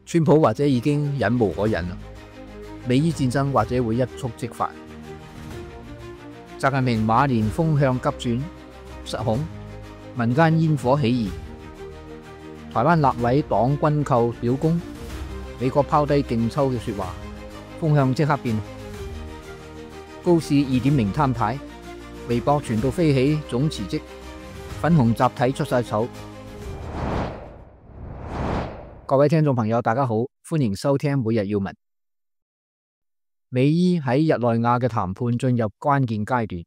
川普或者已經忍無可忍啦，美伊戰爭或者會一觸即發。習近平馬年風向急轉，失控，民間煙火起義，台灣立委黨軍購表功，美國拋低勁抽嘅說話，風向即刻變。高市 2.0 攤牌，微博傳到飛起，總辭職，粉紅集體出晒醜。各位聽眾朋友，大家好，歡迎收聽每日要聞。美伊喺日內瓦嘅談判進入關鍵階段，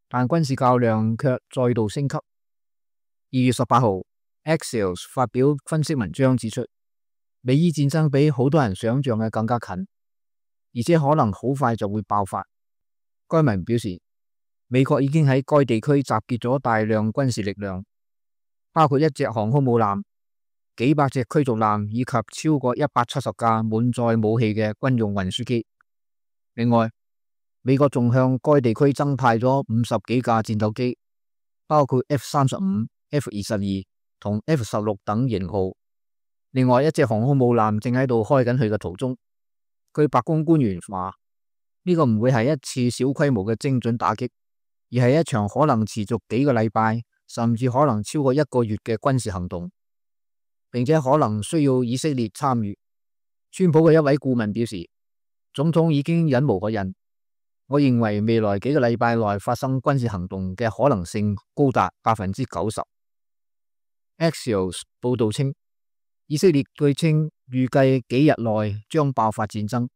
但軍事較量卻再度升級。2月18號 Axios 發表分析文章指出，美伊戰爭比好多人想象嘅更加近，而且可能好快就會爆發。該文表示，美國已經喺該地區集結咗大量軍事力量，包括1隻航空母艦、幾百隻驅逐艦以及超過170架滿載武器嘅軍用運輸機。另外，美國仲向該地區增派咗50幾架戰鬥機，包括 F-35、F-22同 F-16等型號。另外1隻航空母艦正喺度開緊佢嘅途中。據白宮官員話，呢個唔會係一次小規模嘅精準打擊，而係一場可能持續幾個禮拜，甚至可能超過1個月嘅軍事行動，並且可能需要以色列參與。川普嘅一位顧問表示，總統已經忍無可忍。我認為未來幾個禮拜內發生軍事行動嘅可能性高達90%。Axios 報道稱，以色列據稱預計幾日內將爆發戰爭。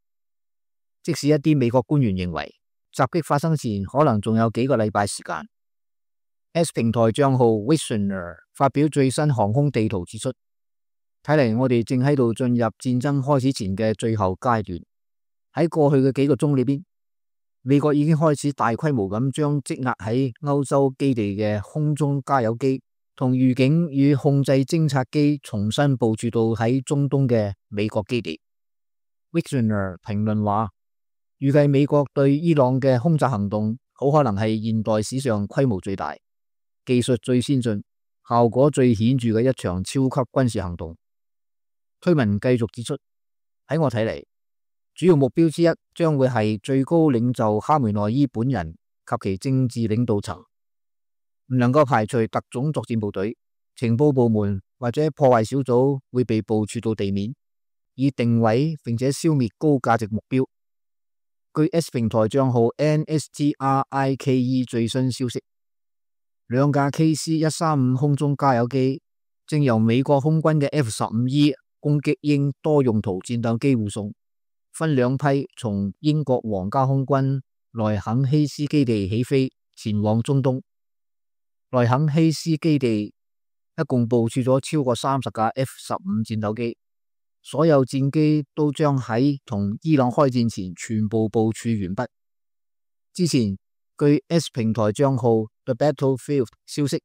即使一啲美國官員認為襲擊發生前可能仲有幾個禮拜時間。X 平台賬號 Visioner 發表最新航空地圖指出，睇嚟我哋正喺度進入戰爭開始前嘅最後階段。喺過去嘅幾個鐘裏邊，美國已經開始大規模咁將積壓喺歐洲基地嘅空中加油機同預警與控制偵察機重新部署到喺中東嘅美國基地。Visioner 評論話，預計美國對伊朗嘅空襲行動好可能係現代史上規模最大、技術最先進、效果最顯著嘅一場超級軍事行動。推文繼續指出，喺我睇嚟，主要目標之一將會係最高領袖哈梅內伊本人及其政治領導層，唔能夠排除特種作戰部隊、情報部門或者破壞小組會被部署到地面，以定位並且消滅高價值目標。據 S 平台賬號 NSTRIKE 最新消息，2架 KC-135 空中加油機正由美國空軍嘅 F-15E 攻擊鷹多用途戰鬥機護送，分兩批從英國皇家空軍萊肯希斯基地起飛，前往中東。萊肯希斯基地一共部署咗超過30架 F-15 戰鬥機，所有戰機都將喺同伊朗開戰前全部部署完畢。之前據 S 平台賬號 The Battlefield 消息，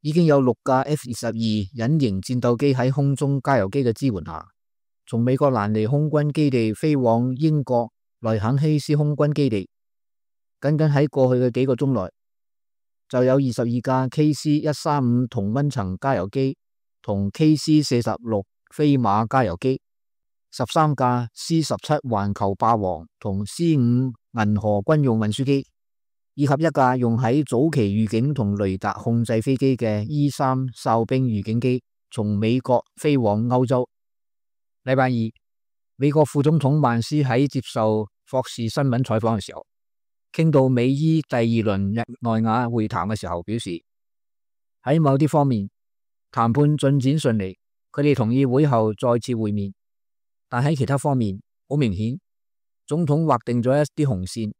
已經有6架 F-22 隱形戰鬥機喺空中加油機嘅支援下，從美國蘭尼空軍基地飛往英國萊肯希斯空軍基地。僅僅喺過去嘅幾個鐘內，就有22架 KC-135 同溫層加油機同 KC-46 飛馬加油機，13架 C-17 環球霸王同 C-5 銀河軍用運輸機，以及1架用喺早期預警同雷達控制飛機嘅 E-3 哨兵預警機，從美國飛往歐洲。禮拜二，美國副總統曼斯喺接受霍士新聞採訪嘅時候，傾到美伊第2輪日內瓦會談嘅時候，表示喺某啲方面談判進展順利，佢哋同意會後再次會面。但喺其他方面，好明顯，總統劃定咗一啲紅線，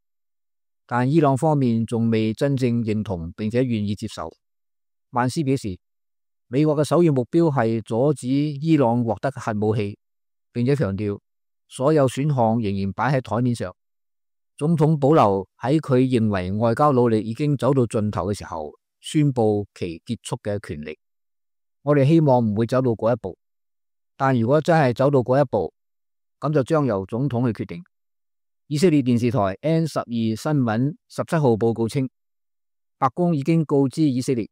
但伊朗方面仲未真正認同並且願意接受。曼斯表示，美國嘅首要目標係阻止伊朗獲得核武器，並且強調所有選項仍然擺喺台面上。總統保留喺佢認為外交努力已經走到盡頭嘅時候，宣布其結束嘅權力。我哋希望唔會走到嗰一步，但如果真係走到嗰一步，咁就將由總統去決定。以色列電視台 N12 新聞17號報告稱，白宮已經告知以色列，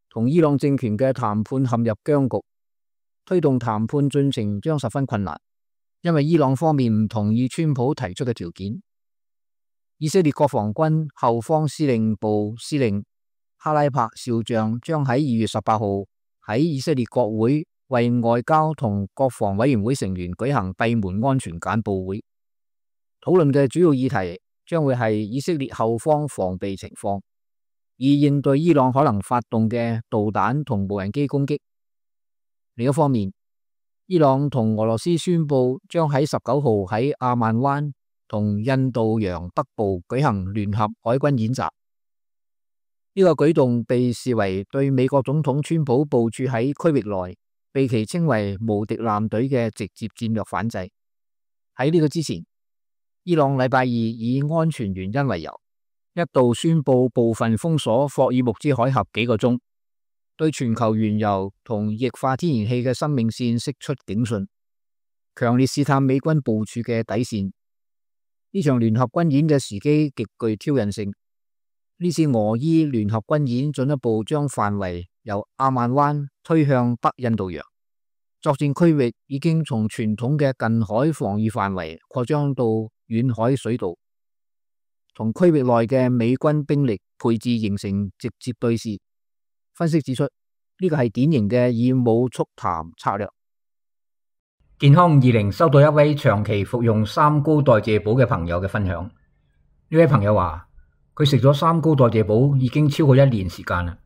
同伊朗政權嘅談判陷入僵局，推動談判進程將十分困難，因為伊朗方面唔同意川普提出嘅條件。以色列國防軍後方司令部司令哈拉柏少將將喺2月18號喺以色列國會為外交同國防委員會成員舉行閉門安全簡報會，討論嘅主要議題將會係以色列後方防備情況，以應對伊朗可能發動嘅導彈同無人機攻擊。另一方面，伊朗同俄羅斯宣布將喺19號喺阿曼灣同印度洋北部舉行聯合海軍演習。呢個舉動被視為對美國總統川普部署喺區域內被其稱為無敵艦隊嘅直接戰略反制。喺呢個之前，伊朗禮拜二以安全原因為由，一度宣布部分封鎖霍爾木茲海峽幾個鐘，對全球原油同液化天然氣嘅生命線釋出警訊，強烈試探美軍部署嘅底線。呢場聯合軍演嘅時機極具挑釁性。呢次俄伊聯合軍演進一步將範圍由阿曼灣推向北印度洋，作戰區域已經從傳統嘅近海防禦範圍擴張到遠海水道，同區域內嘅美軍兵力配置形成直接對峙。分析指出，呢個係典型嘅以武促談策略。健康20收到一位長期服用三高代謝補嘅朋友嘅分享。呢位朋友話，佢食咗三高代謝補已經超過1年時間啦，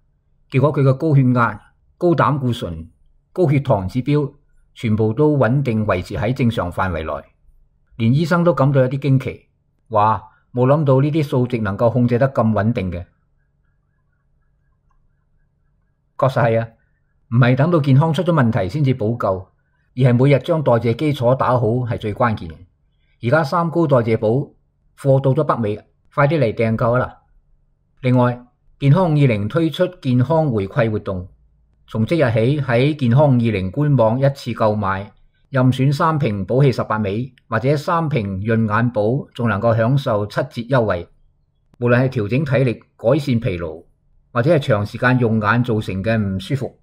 結果佢嘅高血壓、高膽固醇、高血糖指標全部都穩定維持喺正常範圍內，連醫生都感到有啲驚奇，話冇諗到呢啲數值能夠控制得咁穩定嘅。確實係啊，唔係等到健康出咗問題先至補救，而係每日將代謝基礎打好係最關鍵嘅。而家三高代謝補貨到咗北美，快啲嚟訂購啦！另外，健康50推出健康回饋活動，從即日起喺健康20官網一次購買，任選3瓶補氣18味或者3瓶潤眼寶，仲能夠享受7折優惠。無論係調整體力、改善疲勞，或者係長時間用眼造成嘅唔舒服，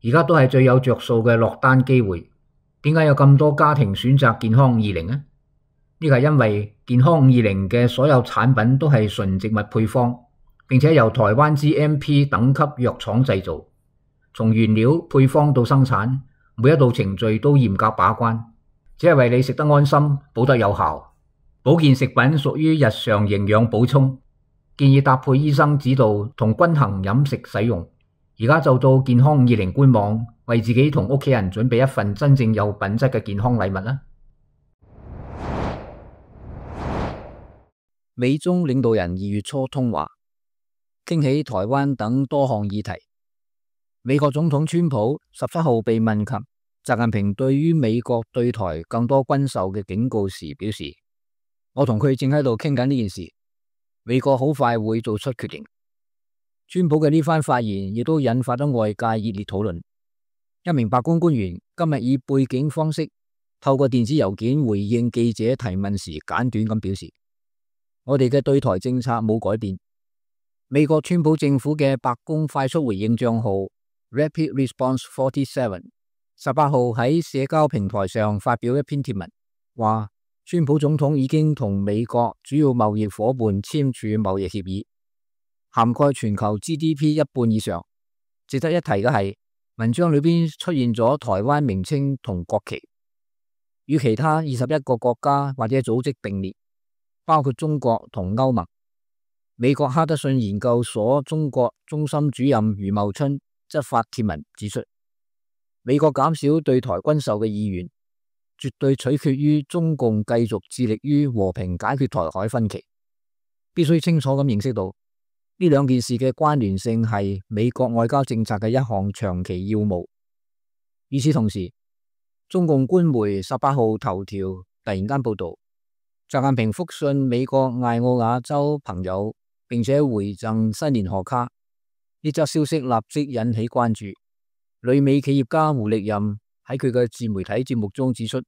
而家都係最有着數嘅落單機會。點解有咁多家庭選擇健康20呢？呢個係因為健康50嘅所有產品都係純植物配方，並且由台灣 GMP 等級藥廠製造，從原料配方到生產，每一道程序都嚴格把關，只係為你食得安心，補得有效。保健食品屬於日常營養補充，建議搭配醫生指導同均衡飲食使用。而家就到健康20官網，為自己同屋企人準備一份真正有品質嘅健康禮物啦！美中領導人2月初通話，傾起台灣等多項議題。美國總統川普17號被問及習近平對於美國對台更多軍售嘅警告時，表示：我同佢正喺度傾緊呢件事，美國好快會做出決定。川普嘅呢番發言亦都引發咗外界熱烈討論。一名白宮官員今日以背景方式透過電子郵件回應記者提問時，簡短咁表示：我哋嘅對台政策冇改變。美國川普政府嘅白宮快速回應賬號 Rapid Response 47 18號喺社交平台上發表一篇貼文，話川普總統已經同美國主要貿易夥伴簽署貿易協議，涵蓋全球 GDP 一半以上。值得一提嘅係，文章裏邊出現咗台灣名稱同國旗，與其他21個國家或者組織並列，包括中國同歐盟。美國哈德遜研究所中國中心主任余茂春則發帖文指出，美國減少對台軍售嘅意願，絕對取決於中共繼續致力於和平解決台海分歧。必須清楚咁認識到，呢兩件事嘅關聯性係美國外交政策嘅一項長期要務。與此同時，中共官媒18號頭條突然間報道，習近平復信美國艾奧瓦州朋友，並且回贈新年賀卡。呢則消息立即引起關注。旅美企業家胡力任喺佢嘅自媒體節目中指出，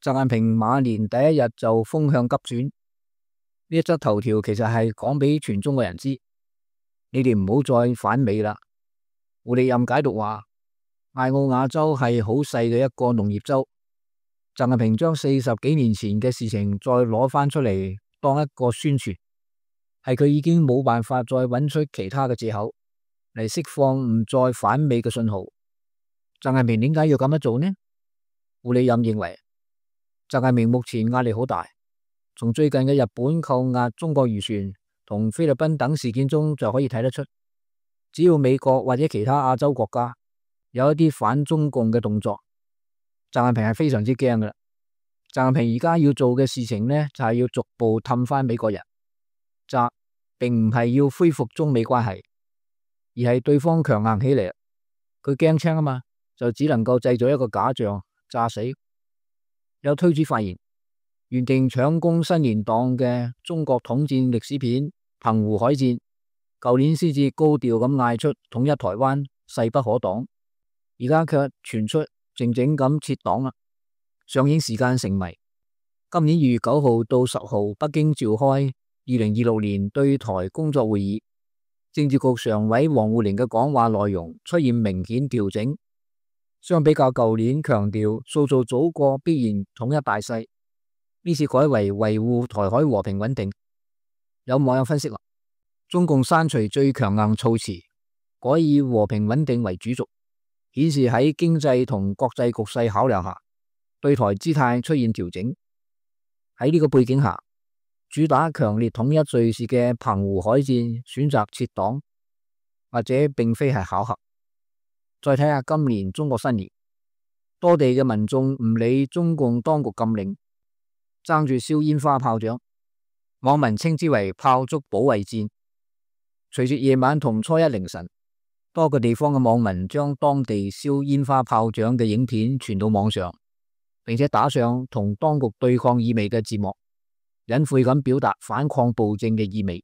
習近平馬年第一日就風向急轉。呢一則頭條其實係講俾全中國人知，你哋唔好再反美啦。胡力任解讀話，艾奧瓦州係好細嘅一個農業州。習近平將40幾年前嘅事情再攞翻出嚟當一個宣傳，係佢已經冇辦法再揾出其他嘅借口嚟釋放唔再反美嘅信號。習近平點解要咁樣做呢？胡利任認為，習近平目前壓力好大，從最近嘅日本扣押中國漁船同菲律賓等事件中就可以睇得出，只要美國或者其他亞洲國家有一啲反中共嘅動作，習近平係非常之驚噶啦。習近平而家要做嘅事情呢，就係要逐步氹翻美國人。習並唔係要恢復中美關係，而係對方強硬起嚟，佢驚青啊嘛，就只能夠製造一個假象炸死。有推主發言，原定搶攻新年檔嘅中國統戰歷史片《澎湖海戰》，舊年先至高調咁嗌出統一台灣勢不可擋，而家卻傳出靜靜咁撤檔啦。上映時間成謎。今年2月9號到10號，北京召開2026年對台工作會議，政治局常委王滬寧嘅講話內容出現明顯調整，相比較舊年強調塑造祖國必然統一大勢，呢次改為維護台海和平穩定。有網友分析話，中共刪除最強硬措辭，改以和平穩定為主軸，顯示喺經濟同國際局勢考量下，對台姿態出現調整。喺呢個背景下，主打強烈統一敘事嘅澎湖海戰選擇撤檔，或者並非係巧合。再睇下今年中國新年，多地嘅民眾唔理中共當局禁令，爭住燒煙花炮仗，網民稱之為炮竹保衛戰。隨住夜晚同初一凌晨，多個地方嘅網民將當地燒煙花炮仗嘅影片傳到網上，並且打上同當局對抗意味嘅字幕，隱晦咁表達反抗暴政嘅意味。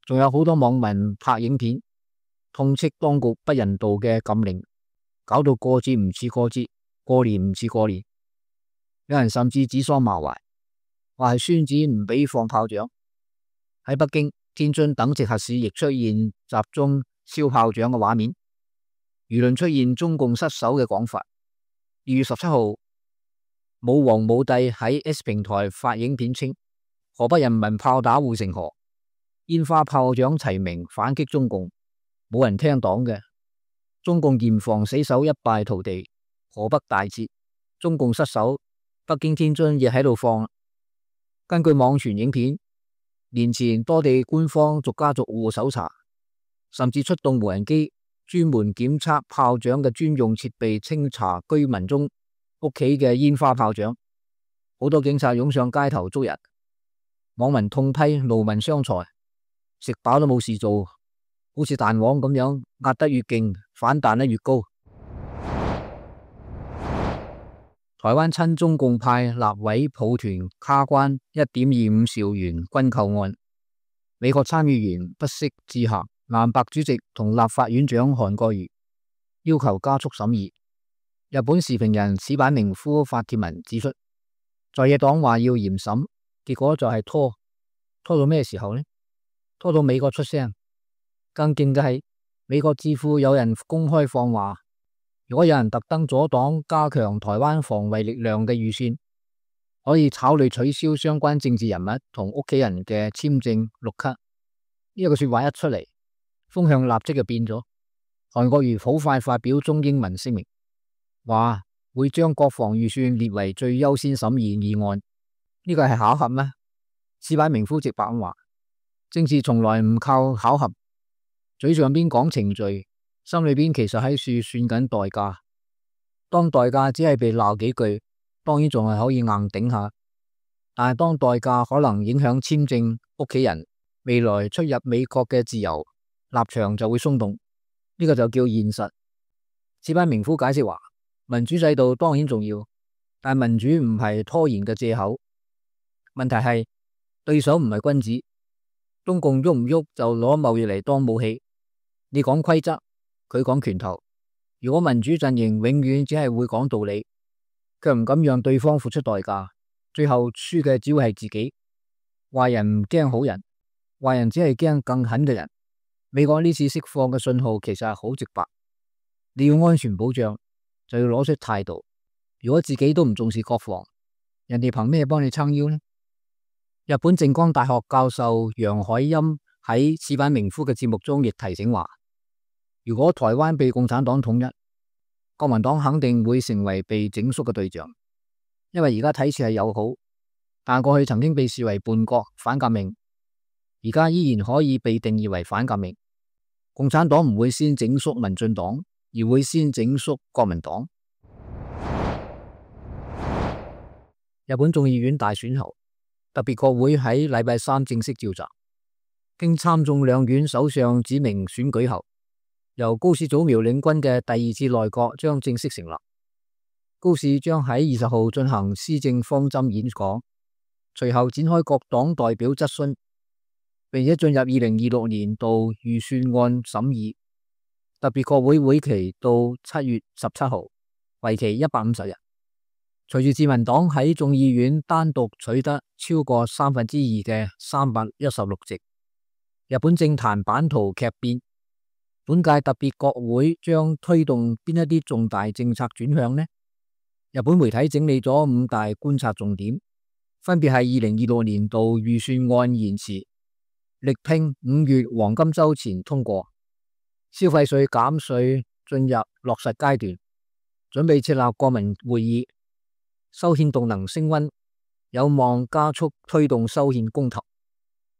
仲有好多網民拍影片，痛斥當局不人道嘅禁令，搞到過節唔似過節，過年唔似過年。有人甚至指桑罵槐，話係孫子唔俾放炮仗。喺北京、天津等直轄市亦出現集中燒炮仗嘅畫面，輿論出現中共失守嘅講法。2月17號，武皇武帝喺 S 平台發影片稱，河北人民炮打護城河，煙花炮仗齊鳴反擊中共，冇人聽黨嘅。中共嚴防死守一敗塗地，河北大捷，中共失守，北京、天津亦喺度放。根據網傳影片，年前多地官方逐家逐戶搜查，甚至出動無人機專門檢測炮仗嘅專用設備，清查居民中屋企嘅煙花炮仗。好多警察湧上街頭捉人，網民痛批勞民傷財，食飽都冇事做，好似彈簧咁樣，壓得越勁，反彈得越高。台灣親中共派立委抱團卡關1.25兆元軍購案，美國參議員不惜致函藍白主席同立法院長韓國瑜，要求加速審議。日本時評人矢板明夫發帖文指出，在野黨話要嚴審，結果就係拖到咩時候呢？拖到美國出聲。更勁嘅係，美國智庫有人公開放話，如果有人特登阻擋加強台灣防衛力量嘅預算，可以考慮取消相關政治人物同屋企人嘅簽證綠卡。呢一個說話一出嚟，風向立即就變咗。韓國瑜好快發表中英文聲明，話會將國防預算列為最優先審議議案。呢個係巧合咩？矢板明夫直白咁話，政治從來唔靠巧合，嘴上邊講程序，心裏邊其實喺處算緊代價。當代價只係被鬧幾句，當然仲係可以硬頂下，但係當代價可能影響簽證、屋企人未來出入美國嘅自由，立場就會鬆動。呢個就叫現實。矢板明夫解釋話，民主制度當然重要，但民主唔係拖延嘅借口。問題係對手唔係君子，中共喐唔喐就攞貿易嚟當武器。你講規則，佢講拳頭。如果民主陣營永遠只係會講道理，卻唔敢讓對方付出代價，最後輸嘅只會係自己。壞人唔驚好人，壞人只係驚更狠嘅人。美國呢次釋放嘅信號其實係好直白，你要安全保障，就要攞出態度。如果自己都唔重視國防，人哋憑咩幫你撐腰呢？日本靜岡大學教授楊海欽喺矢板明夫嘅節目中亦提醒話，如果台灣被共產黨統一，國民黨肯定會成為被整肅嘅對象，因為而家睇似係友好，但過去曾經被視為叛國反革命，而家依然可以被定義為反革命。共產黨唔會先整肅民進黨，而會先整肅國民黨。日本眾議院大選後，特別國會喺禮拜三正式召集，經參眾兩院首相指名選舉後，由高市早苗領軍嘅第二次內閣將正式成立。高市將喺20號進行施政方針演講，隨後展開各黨代表質詢，並且進入2026年度預算案審議。特別國會會期到7月17號，為期150日。隨住自民黨喺眾議院單獨取得超過2/3嘅316席，日本政壇版圖劇變。本屆特別國會將推動邊一啲重大政策轉向呢？日本媒體整理咗5大觀察重點，分別係2026年度預算案延遲，力拼5月黃金週前通過，消費稅減稅進入落實階段，準備設立國民會議，修憲動能升溫，有望加速推動修憲公投，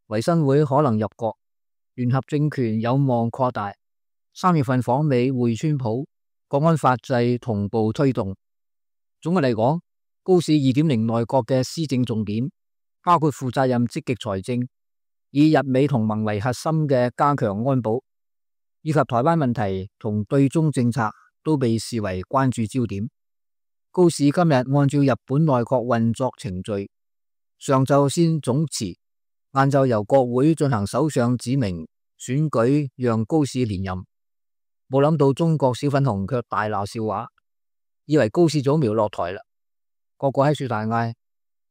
維新會可能入閣，聯合政權有望擴大，3月份訪美會川普，國安法制同步推動。總嘅嚟講，高市2.0內閣嘅施政重點包括負責任積極財政，以日美同盟為核心嘅加強安保，以及台灣問題同對中政策都被視為關注焦點。高市今日按照日本內閣運作程序，上晝先總辭，晏晝由國會進行首相指名選舉，讓高市連任。冇諗到中國小粉紅卻大鬧笑話，以為高市早苗落台啦，個個喺樹大嗌，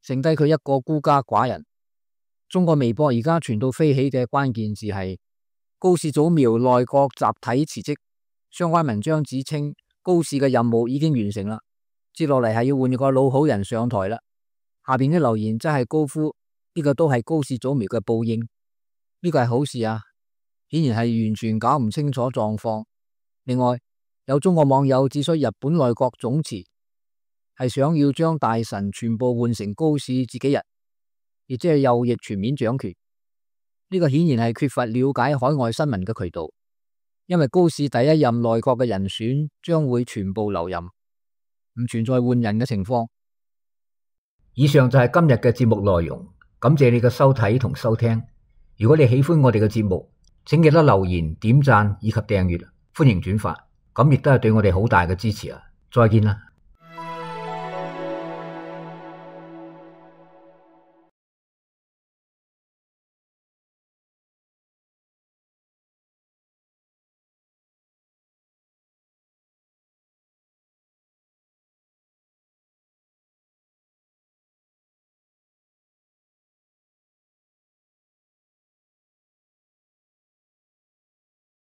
剩低佢一個孤家寡人。中國微博而家傳到飛起嘅關鍵字係高市早苗內閣集體辭職，相關文章指稱高市嘅任務已經完成啦，接落嚟係要換個老好人上台啦。下邊啲留言真係高呼呢個都係高市早苗嘅報應，呢個係好事啊！顯然係完全搞唔清楚狀況。另外，有中國網友指出日本內閣總辭係想要將大臣全部換成高市自己人，亦即係右翼全面掌權。呢個顯然係缺乏了解海外新聞嘅渠道，因為高市第一任內閣嘅人選將會全部留任，唔存在換人嘅情況。以上就係今日嘅節目內容，感謝你嘅收睇同收聽。如果你喜歡我哋嘅節目，請記得留言、點讚以及訂閱，歡迎轉發，咁亦都係對我哋好大嘅支持啊！再見啦！